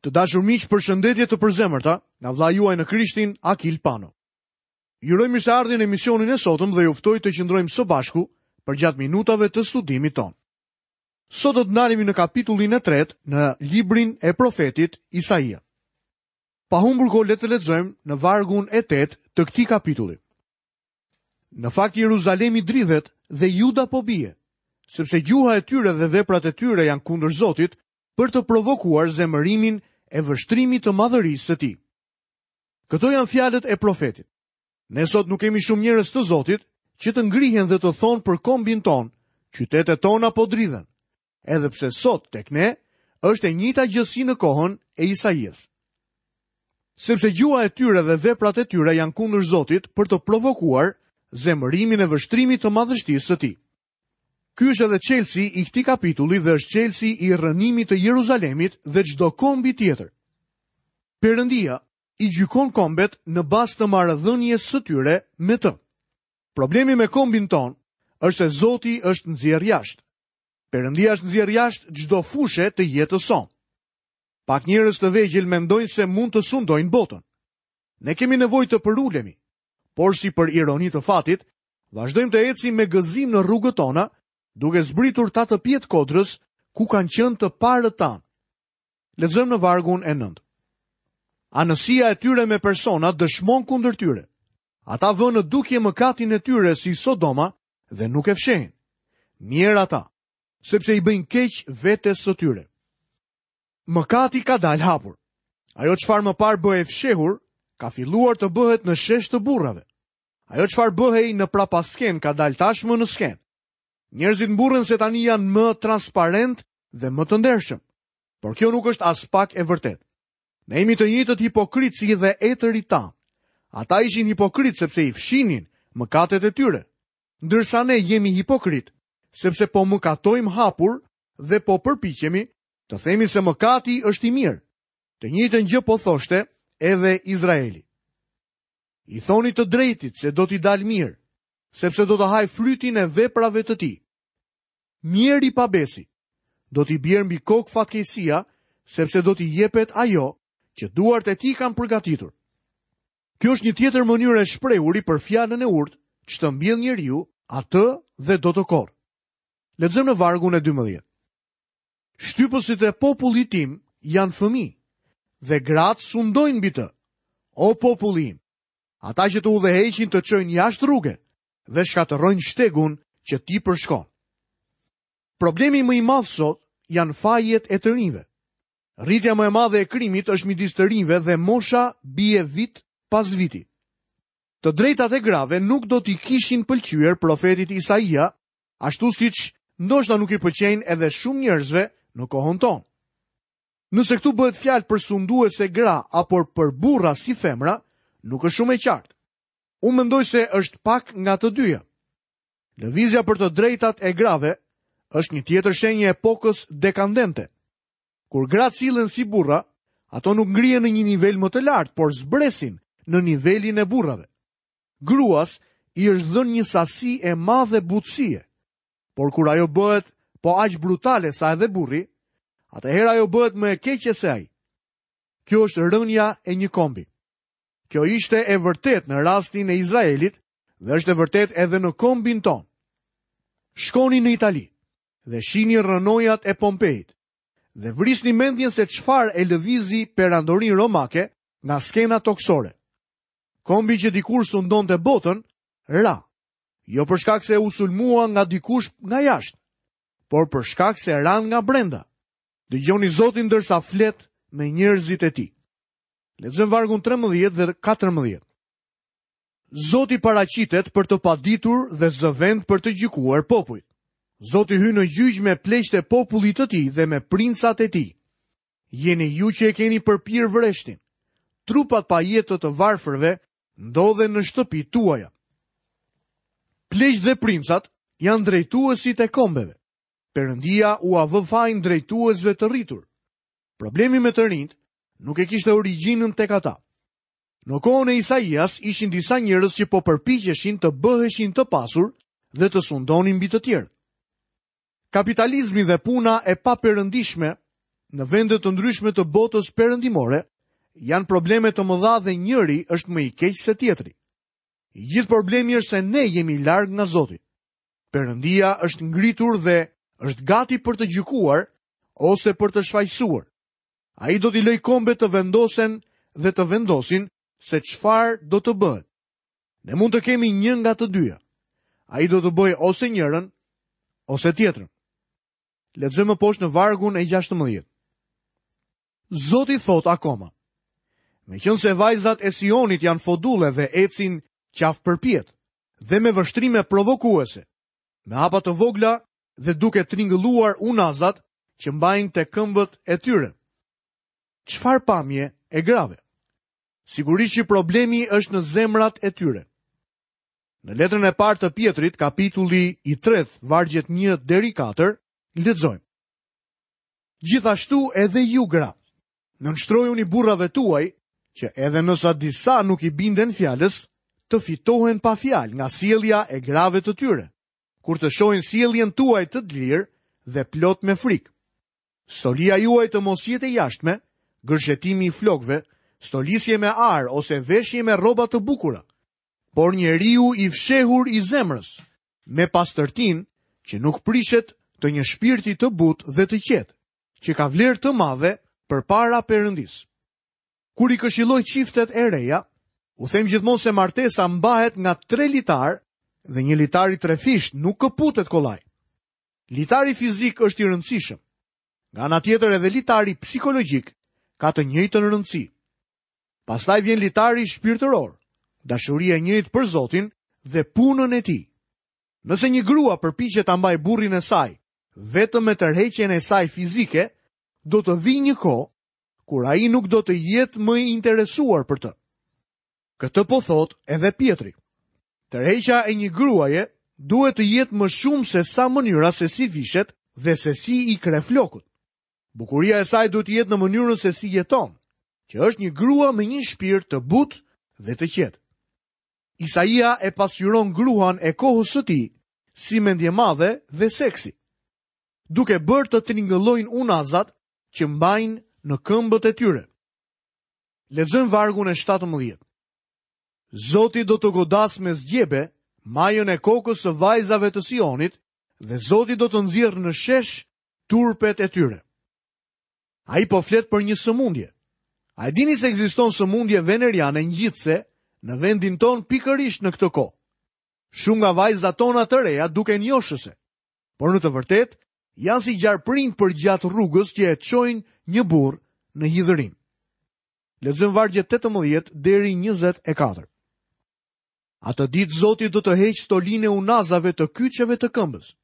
Të dashur miq, përshëndetje të përzemërta nga vëllai juaj në Krishtin, Akil Pano. Ju uroj mirëseardhjen në emisionin e sotëm dhe ju ftoj të qëndrojmë së bashku përgjatë minutave të studimit tonë. Sot do të ndalemi në kapitullin e tretë në librin e profetit Isaia. Pa humbur kohë le të lexojmë në vargun e 8 të këtij kapitulli. Në fakt Jeruzalemi dridhet dhe Juda po bie, sepse gjuha e tyre dhe veprat e tyre janë kundër Zotit për të provokuar zemërimin e vështrimit të madhërisë së tij. Këto janë fjalët e profetit. Ne sot nuk kemi shumë njerëz të Zotit që të ngrihen dhe të thonë për kombin tonë, qytetet tona po dridhen. Edhe pse sot tek ne është e njëjta gjë si në kohën e Isaias. Sepse gjuha e tyre dhe veprat e tyre janë kundër Zotit për të provokuar zemërimin e vështrimit të madhështisë së tij. Ky është edhe çelësi i këtij kapitulli dhe është çelësi i rrënimit të Jeruzalemit dhe çdo kombi tjetër. Perëndia i gjykon kombet në bazë të marrëdhënies së tyre me të. Problemi me kombin tonë është se Zoti është nxjerrë jashtë. Perëndia është nxjerrë jashtë çdo fushe të jetës sonë. Pak njerëz të vegjël mendojnë se mund të sundojnë botën. Ne kemi nevojë të përulemi, por si për ironi të fatit, vazhdojmë të ecim me gëzim në rrugët tona, duke zbritur tatëpjetë kodrës ku kanë qenë të parët tanë. Lexojmë në vargun e 9. Anësia e tyre me persona dëshmon kundër tyre. Ata vënë në dukje mëkatin e tyre si Sodoma dhe nuk e fshehin. Mjerë ata, sepse i bëjnë keq vetes së tyre. Mëkati ka dalë hapur. Ajo çfarë më parë bëhej fshehur, ka filluar të bëhet në shesh të burrave. Ajo çfarë bëhej në prapaskenë ka dalë tashmë në skenë. Njerëzit mburren se tani janë më transparentë dhe më të ndershëm. Por kjo nuk është aspak e vërtetë. Ne jemi të njëjtët hipokritë si dhe etërit tanë. Ata ishin hipokritë sepse i fshinin mëkatet e tyre. Ndërsa ne jemi hipokritë sepse po mëkatojmë hapur dhe po përpiqemi të themi se mëkati është i mirë. Të njëjtën gjë po thoshte edhe Izraeli. I thoni të drejtit se do t'i dalë mirë, sepse do të hajë frytin e veprave të tij. Mjerë i pabesi, do t'i bjerë mbi kokë fatkeqësia, sepse do t'i jepet ajo që duart e tij kanë përgatitur. Kjo është një tjetër mënyrë e shprehuri për fjalën e urtë, ç'të mbjellë njeriu, atë dhe do të korrë. Lexojmë në vargun e 12. Shtypësit e popullit tim janë fëmijë dhe gratë sundojnë mbi të. O populli im, ata që të udhëheqin të çojnë jashtë rruge dhe shkatërrojnë shtegun që ti përshkon. Problemi më i madh sot janë fajet e të rinjve. Rritja më e madhe e krimit është midis të rinjve dhe mosha bie vit pas viti. Të drejtat e grave nuk do t'i kishin pëlqyer profetit Isaia, ashtu siç ndoshta nuk i pëlqejnë edhe shumë njerëzve në kohën tonë. Nëse këtu bëhet fjalë për sunduese gra apo për burra si femra, nuk është shumë e qartë. Unë mendoj se është pak nga të dyja. Lëvizja për të drejtat e grave është një tjetër shenjë e epokës dekadente. Kur gratë sillen si burra, ato nuk ngrihen në një nivel më të lartë, por zbresin në nivelin e burrave. Gruas i është dhënë një sasi e madhe butësie, por kur ajo bëhet po aq brutale sa edhe burri, atëherë ajo bëhet më e keqe se ai. Kjo është rënia e një kombi. Kjo ishte e vërtetë në rastin e Izraelit dhe është e vërtetë edhe në kombin tonë. Shkoni në Itali dhe shihni rrënojat e Pompeit dhe vrisni mendjen se çfarë e lëvizi perandorinë romake nga skena tokësore. Kombi që dikur sundonte botën, ra, jo për shkak se u sulmua nga dikush nga jashtë, por për shkak se ranë nga brenda. Dëgjoni Zotin ndërsa flet me njerëzit e tij. Lexojmë vargun 13 dhe 14. Zoti paraqitet për të paditur dhe zë vend për të gjykuar popujt. Zoti hyn në gjyq me pleqtë e popullit të tij dhe me princat e tij. Jeni ju që e keni përpirë vreshtin. Trupat pa jetë të të varfërve ndodhen në shtëpitë tuaja. Pleqtë dhe princat janë drejtuesit e kombeve. Perëndia ua vë fajin drejtuesve të rritur. Problemi me të rinjtë nuk e kishte origjinën tek ata. Në kohën e Isaias ishin disa njerëz që po përpiqeshin të bëheshin të pasur dhe të sundonin mbi të tjerët. Kapitalizmi dhe puna e paperëndishme. në vende të ndryshme të botës perëndimore janë probleme të mëdha dhe njëri është më i keq se tjetri. I gjithë problemi është se ne jemi larg nga Zoti. Perëndia është ngritur dhe është gati për të gjykuar ose për të shfajësuar. Ai do t'i lërë kombet të vendosen dhe të vendosin se çfarë do të bëhet. Ne mund të kemi një nga të dyja. Ai do të bëjë ose njërën ose tjetrën. Lexojmë më poshtë në vargun e 16. Zoti thotë akoma. Meqenëse vajzat e Sionit janë fodulle dhe ecin qafëpërpjetë dhe me vështrime provokuese, me hapa të vogla dhe duke tringëlluar unazat që mbajnë te këmbët e tyre. Çfarë pamje e grave? Sigurisht që problemi është në zemrat e tyre. Në letrën e parë të Pjetrit, kapitulli i tretë, vargjet 1 deri 4, lexojmë. Gjithashtu edhe ju gra, nënshtrojuni burrave tuaj, që edhe nëse disa nuk i binden fjalës, të fitohen pa fjalë nga sjellja e grave të tyre, kur të shohin sjelljen tuaj të dlirë dhe plot me frikë. Stolia juaj të mos jetë e jashtme, gërshetimi i flokëve, stolisje me ar ose veshje me rroba të bukura, por njeriu i fshehur i zemrës, me pastërtinë që nuk prishet të një shpirti të butë dhe të qetë, që ka vlerë të madhe përpara Perëndisë. Kur i këshilloj çiftet e reja, u them gjithmonë se martesa mbahet nga tre litarë dhe një litar i trefishtë nuk këputet kollaj. Litari fizik është i rëndësishëm. Nga ana tjetër edhe litari psikologjik ka të njëjtën rëndësi. Pastaj vjen litari shpirtëror, dashuria e njëjtë për Zotin dhe punën e tij. Nëse një grua përpiqet ta mbajë burrin e saj vetëm me tërheqjen e saj fizike, do të vijë një kohë kur ai nuk do të jetë më i interesuar për të. Këtë po thotë edhe Pjetri. Tërheqja e një gruaje duhet të jetë më shumë se sa mënyra se si vishet dhe se si i kreh flokët. Bukuria e saj duhet të jetë në mënyrën se si jeton, që është një grua me një shpirt të butë dhe të qetë. Isaia e pasqyron gruan e kohës së tij si mendjemadhe dhe seksi, duke bërë të tringëllojnë unazat që mbajnë në këmbët e tyre. Lexojmë vargun e 17. Zoti do të godasë me zgjebe majën e kokës së vajzave të Sionit dhe Zoti do të nxjerrë në shesh turpet e tyre. Ai po flet për një sëmundje. A e dini se ekziston sëmundje veneriane ngjitëse në vendin tonë pikërisht në këtë kohë? Shumë nga vajzat tona të reja duken joshëse, por në të vërtetë janë si gjarpërinj përgjatë rrugës që e çojnë një burrë në hidhërim. Lexojmë vargjet 18 deri 24. Atë ditë Zoti do të heqë stolinë e unazave të kyçeve të këmbës.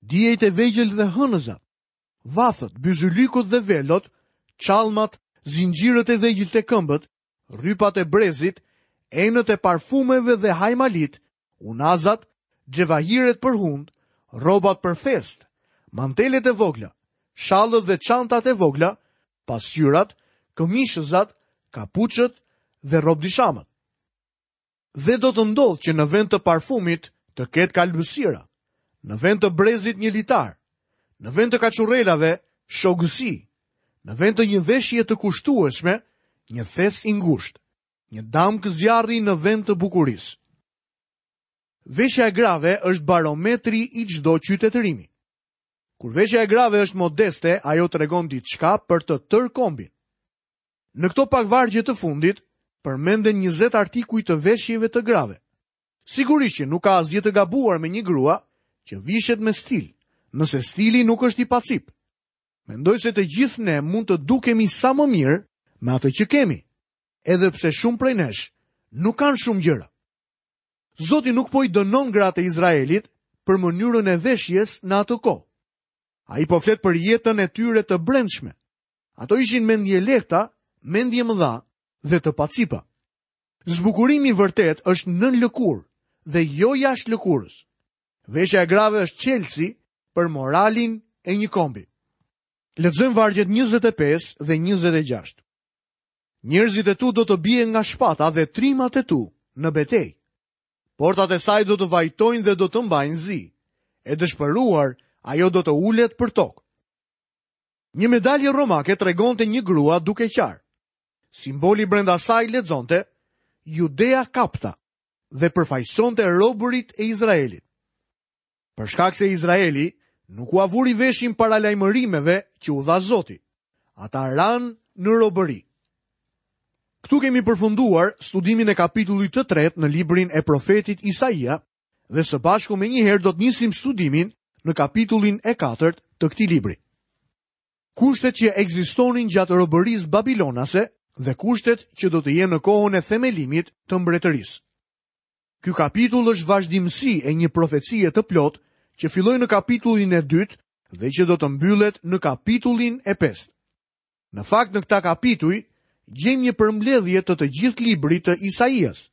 Diejt e vegjël dhe hënëzat, vathët, byzylykët dhe velot, çallmat, zinxhirët e vegjël te këmbët, rrypat e brezit, enët e parfumeve dhe hajmalitë, unazat, xhevahiret për hundë, rrobat për festë, mantelet e vogla, shallët dhe çantat e vogla, pasqyrat, këmishëzat, kapuçët dhe robdishamët. Dhe do të ndodhë që në vend të parfumit të ketë kalbësira, në vend të brezit një litar, në vend të kaçurrelave shogësi, në vend të një veshje të kushtueshme, një thes i ngushtë, një damkë zjarri në vend të bukurisë. Veshja e grave është barometri i çdo qytetërimi. Kur veshja e grave është modeste, ajo tregon diçka për të tërë kombin. Në këto pak vargje të fundit, përmenden 20 artikuj të veshjeve të grave. Sigurisht që nuk ka asgjë të gabuar me një grua që vishet me stil, nëse stili nuk është i pacipë. Mendoj se të gjithë ne mund të dukemi sa më mirë me atë që kemi, edhe pse shumë prej nesh nuk kanë shumë gjëra. Zoti nuk po i dënon gratë e Izraelit për mënyrën e veshjes në atë kohë. Ai po flet për jetën e tyre të brendshme. Ato ishin mendjelehta, mendjemëdha dhe të pacipa. Zbukurimi i vërtetë është nën lëkurë dhe jo jashtë lëkurës. Veshja e grave është çelësi për moralin e një kombi. Lexojmë vargjet 25 dhe 26. Njerëzit e tu do të bien nga shpata dhe trimat e tu në betejë. Portat e saj do të vajtojnë dhe do të mbajnë zi. E dëshpëruar, ajo do të ulet për tokë. Një medalje romake tregonte një grua duke qarë. Simboli brenda saj lexonte Judea Capta dhe përfaqësonte robërit e Izraelit. Për shkak se Izraeli nuk ua vuri veshin paralajmërimeve që u dha Zoti, ata ranë në robëri. Këtu kemi përfunduar studimin e kapitullit të tretë në librin e profetit Isaia dhe së bashku menjëherë do të nisim studimin në kapitullin e katërt të këtij libri. Kushtet që ekzistonin gjatë robërisë babilonase dhe kushtet që do të jenë në kohën e themelimit të mbretërisë. Ky kapitull është vazhdimësi e një profecie të plotë që filloi në kapitullin e dytë dhe që do të mbyllet në kapitullin e pestë. Në fakt në këta kapituj gjejmë një përmbledhje të të gjithë librit të Isaias,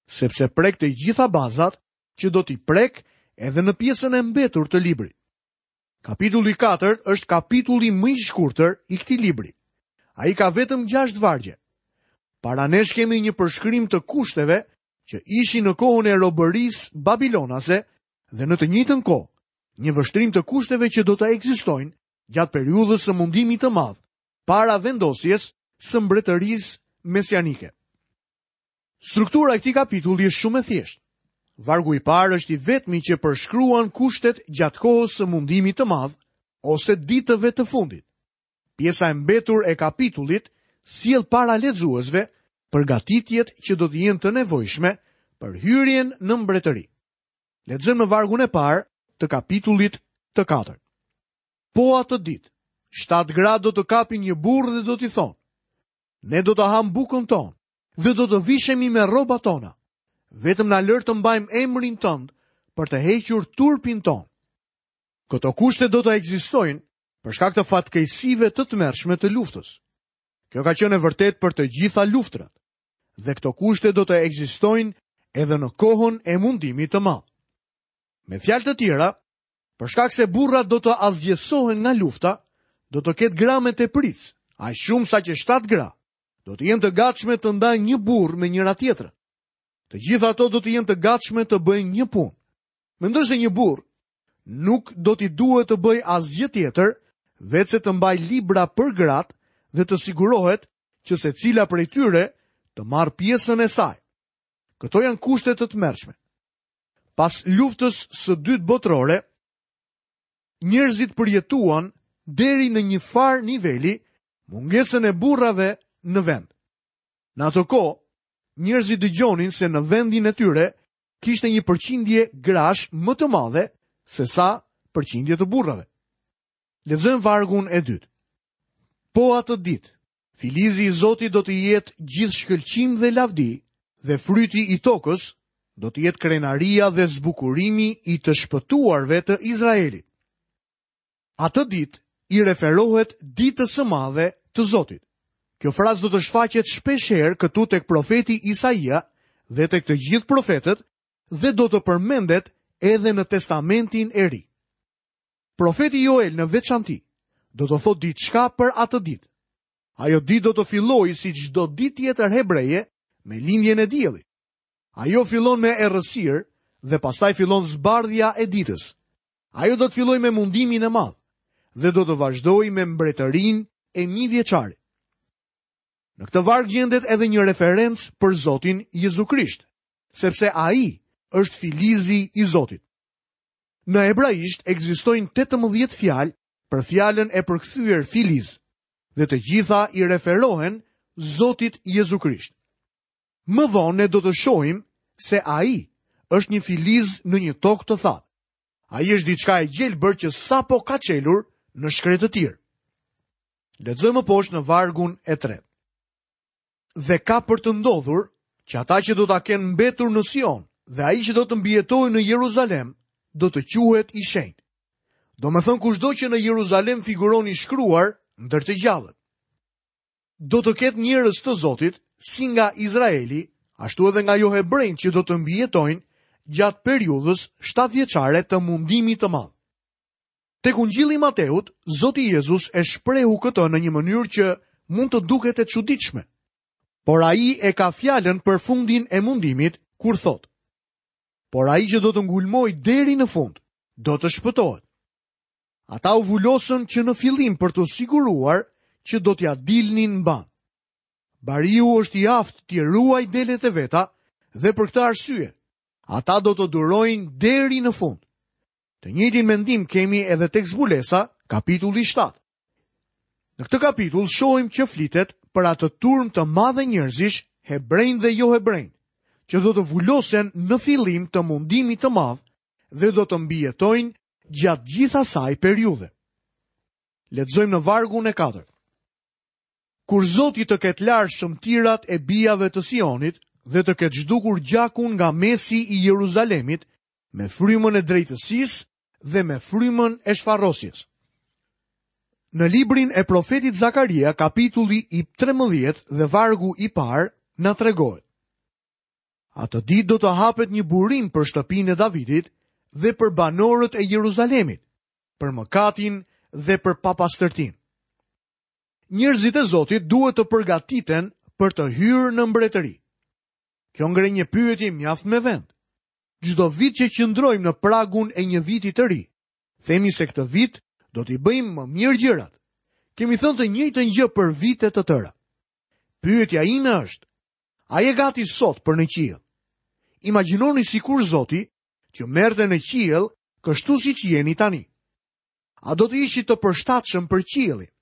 sepse prek të gjitha bazat që do t'i prekë edhe në pjesën e mbetur të librit. Kapitulli 4 është kapitulli më i shkurtër i këtij libri. Ai ka vetëm 6 vargje. Para nesh kemi një përshkrim të kushteve që ishin në kohën e robërisë babilonase dhe në të njëjtën kohë, një vështrim të kushteve që do të ekzistojnë gjatë periudhës së mundimit të madh, para vendosjes së mbretërisë mesianike. Struktura e këtij kapitulli është shumë e thjeshtë. Vargu i parë është i vetmi që përshkruan kushtet gjatë kohës së mundimit të madh ose ditëve të fundit. Pjesa e mbetur e kapitullit sjell para lexuesve përgatitjet që do të jenë të nevojshme për hyrjen në mbretëri. Lexojmë në vargun e parë të kapitullit të katërt. Po atë ditë, shtatë gra do të kapin një burrë dhe do t'i thonë: Ne do të hamë bukën tonë dhe do të vishemi me rrobat tona. Vetëm na lër të mbajmë emrin tënd për të hequr turpin tonë. Këto kushte do të ekzistojnë për shkak të fatkeqësive të tmerrshme të luftës. Kjo ka qenë e vërtetë për të gjitha luftërat. Dhe këto kushte do të ekzistojnë edhe në kohën e mundimit të madh. Me fjalë të tjera, për shkak se burrat do të asgjësohen nga lufta, do të ketë gra me tepricë, aq shumë sa që shtatë gra do të jenë të gatshme të ndajnë një burrë me njëra-tjetrën. Të gjitha ato do të jenë të gatshme të bëjnë një punë. Mendoj se një burrë nuk do t'i duhet të bëjë asgjë tjetër, veçse të mbajë libra për gratë dhe të sigurohet që secila prej tyre të marrë pjesën e saj. Këto janë kushte të tmerrshme. Pas luftës së dytë botërore, njerëzit përjetuan deri në një farë niveli mungesën e burrave në vend. Në atë kohë, njerëzit dëgjonin se në vendin e tyre kishte një përqindje grash më të madhe sesa përqindje të burrave. Lexojmë vargun e dytë. Po atë ditë, filizi i Zotit do të jetë gjithë shkëlqim dhe lavdi dhe fryti i tokës do të jetë krenaria dhe zbukurimi i të shpëtuarve të Izraelit. Atë ditë i referohet ditës së madhe të Zotit. Kjo frazë do të shfaqet shpeshherë këtu tek profeti Isaia dhe tek të gjithë profetët dhe do të përmendet edhe në Testamentin e Ri. Profeti Joel në veçanti do të thotë diçka për atë ditë. Ajo ditë do të fillojë si çdo ditë tjetër hebreje me lindjen e diellit. Ajo fillon me errësirë dhe pastaj fillon zbardhja e ditës. Ajo do të fillojë me mundimin e madh dhe do të vazhdojë me mbretërinë e mijëvjeçarit. Në këtë varg gjendet edhe një referencë për Zotin Jezu Krisht, sepse ai është filizi i Zotit. Në hebraisht ekzistojnë 18 fjalë për fjalën e përkthyer filiz dhe të gjitha i referohen Zotit Jezu Krisht. Më vonë ne do të shohim se ai është një filiz në një tokë të thatë. Ai është diçka e gjelbër që sapo ka çelur në shkretëtirë. Lexojmë më poshtë në vargun e tretë. Dhe ka për të ndodhur që ata që do ta kenë mbetur në Sion dhe ai që do të mbijetojë në Jeruzalem do të quhet i shenjtë. Domethënë kushdo që në Jeruzalem figuron i shkruar ndër të gjallët. Do të ketë njerëz të Zotit, si nga Izraeli, ashtu edhe nga johebrenjtë që do të mbijetojnë gjatë periudhës shtatëvjeçare të mundimit të madh. Tek Ungjilli i Mateut, Zoti Jezus e shprehu këtë në një mënyrë që mund të duket e çuditshme. Por ai e ka fjalën për fundin e mundimit kur thotë: Por ai që do të ngulmojë deri në fund, do të shpëtohet. Ata u vulosën që në fillim për t'u siguruar që do t'ia dilnin mbanë. Bariu është i aftë t'i ruajë delet e veta dhe për këtë arsye, ata do të durojnë deri në fund. Të njëjtin mendim kemi edhe tek Zbulesa, kapitulli 7. Në këtë kapitull shohim që flitet për atë turmë të madhe njerëzish, hebrenj dhe johebrenj, që do të vulosen në fillim të mundimit të madh dhe do të mbijetojnë gjatë gjithë asaj periudhe. Lexojmë në vargun e katërt. Kur Zoti të ketë larë shëmtirat e bijave të Sionit dhe të ketë zhdukur gjakun nga mesi i Jeruzalemit me frymën e drejtësisë dhe me frymën e shfarosjes. Në librin e profetit Zakaria, kapitulli i 13 dhe vargu i parë, na tregohet. Atë ditë do të hapet një burim për shtëpinë e Davidit dhe për banorët e Jeruzalemit, për mëkatin dhe për papastërtinë. Njerëzit e Zotit duhet të përgatiten për të hyrë në mbretëri. Kjo ngre një pyetje mjaft me vend. Çdo vit që qëndrojmë në pragun e një viti të ri, themi se këtë vit do t'i bëjmë më mirë gjërat. Kemi thënë të njëjtën gjë për vite të tëra. Pyetja ime është, a je gati sot për në qiell? Imagjinoni sikur Zoti t'ju merrte në qiell kështu siç jeni tani. A do të ishit të përshtatshëm për qiellin?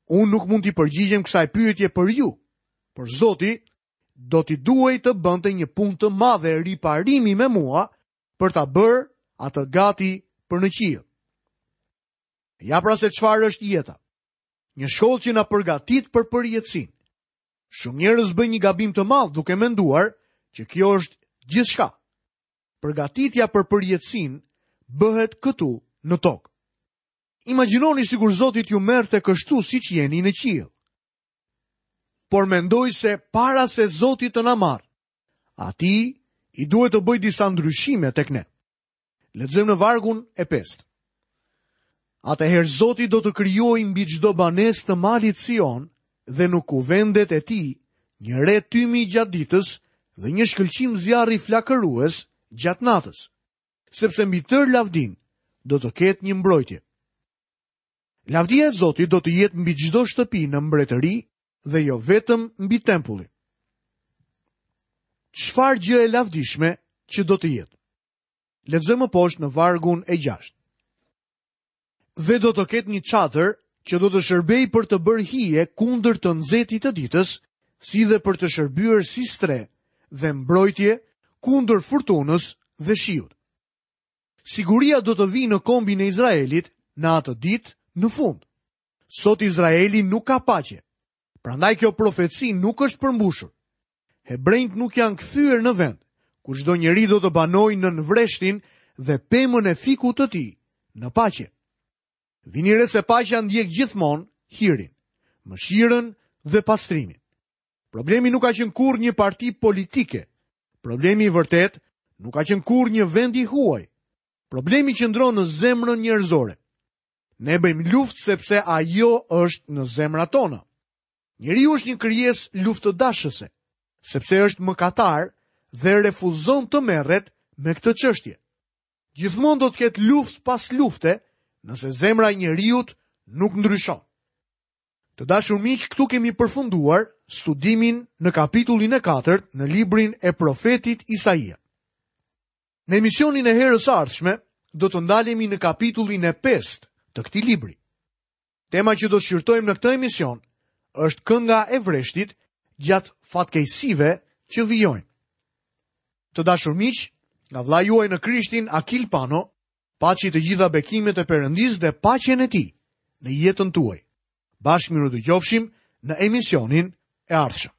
Unë nuk mund t'i përgjigjem kësaj pyetje për ju, por Zoti do t'i duhej të bënte një punë të madhe riparimi me mua për ta bërë atë gati për në qiell. Ja pra se çfarë është jeta. Një shkollë që na përgatit për përjetësinë. Shumë njerëz bëjnë një gabim të madh duke menduar që kjo është gjithçka. Përgatitja për përjetësinë bëhet këtu në tokë. Imagjinoni sikur Zoti t'ju merrte kështu siç jeni në qiell. Por mendoj se para se Zoti të na marrë, atij i duhet të bëjë disa ndryshime tek ne. Lexojmë në vargun e pestë. Atëherë Zoti do të krijojë mbi çdo banesë të malit Sion dhe në kuvendet e tij një re tymi gjatë ditës dhe një shkëlqim zjarri flakërues gjatë natës, sepse mbi tërë lavdinë do të ketë një mbrojtje. Lavdia e Zotit do të jetë mbi çdo shtëpi në mbretëri dhe jo vetëm mbi tempullin. Çfarë gjë e lavdishme që do të jetë? Lexojmë më poshtë në vargun e 6. Dhe do të ketë një çadër që do të shërbejë për të bërë hije kundër të nxehtit të ditës, si dhe për të shërbyer si strehë dhe mbrojtje kundër furtunës dhe shiut. Siguria do të vijë në kombin e Izraelit në atë ditë në fund. Sot Izraeli nuk ka paqe. Prandaj kjo profeci nuk është përmbushur. Hebrenjtë nuk janë kthyer në vend, ku çdo njeri do të banojë nën vreshtin dhe pemën e fikut të tij në paqe. Vini re se paqja ndjek gjithmonë hirin, mëshirën dhe pastrimin. Problemi nuk ka qenë kurrë një parti politike. Problemi i vërtetë nuk ka qenë kurrë një vend i huaj. Problemi qëndron në zemrën njerëzore. Ne bëjmë luftë sepse ajo është në zemrat tona. Njeriu është një krijesë luftëdashëse, sepse është mëkatar dhe refuzon të merret me këtë çështje. Gjithmonë do të ketë luftë pas lufte, nëse zemra e njeriut nuk ndryshon. Të dashur miq, këtu kemi përfunduar studimin në kapitullin e katërt në librin e profetit Isaia. Në emisionin e herës së ardhshme do të ndalemi në kapitullin e pestë të këtij libri. Tema që do të shqyrtojmë në këtë emision është kënga e vreshtit gjatë fatkeqësive që vijojnë. Të dashur miq, nga vëllai juaj në Krishtin Akil Pano, paçi të gjitha bekimet e Perëndisë dhe paqen e tij në jetën tuaj. Bashkë mirudëgjofshim në emisionin e ardhshëm.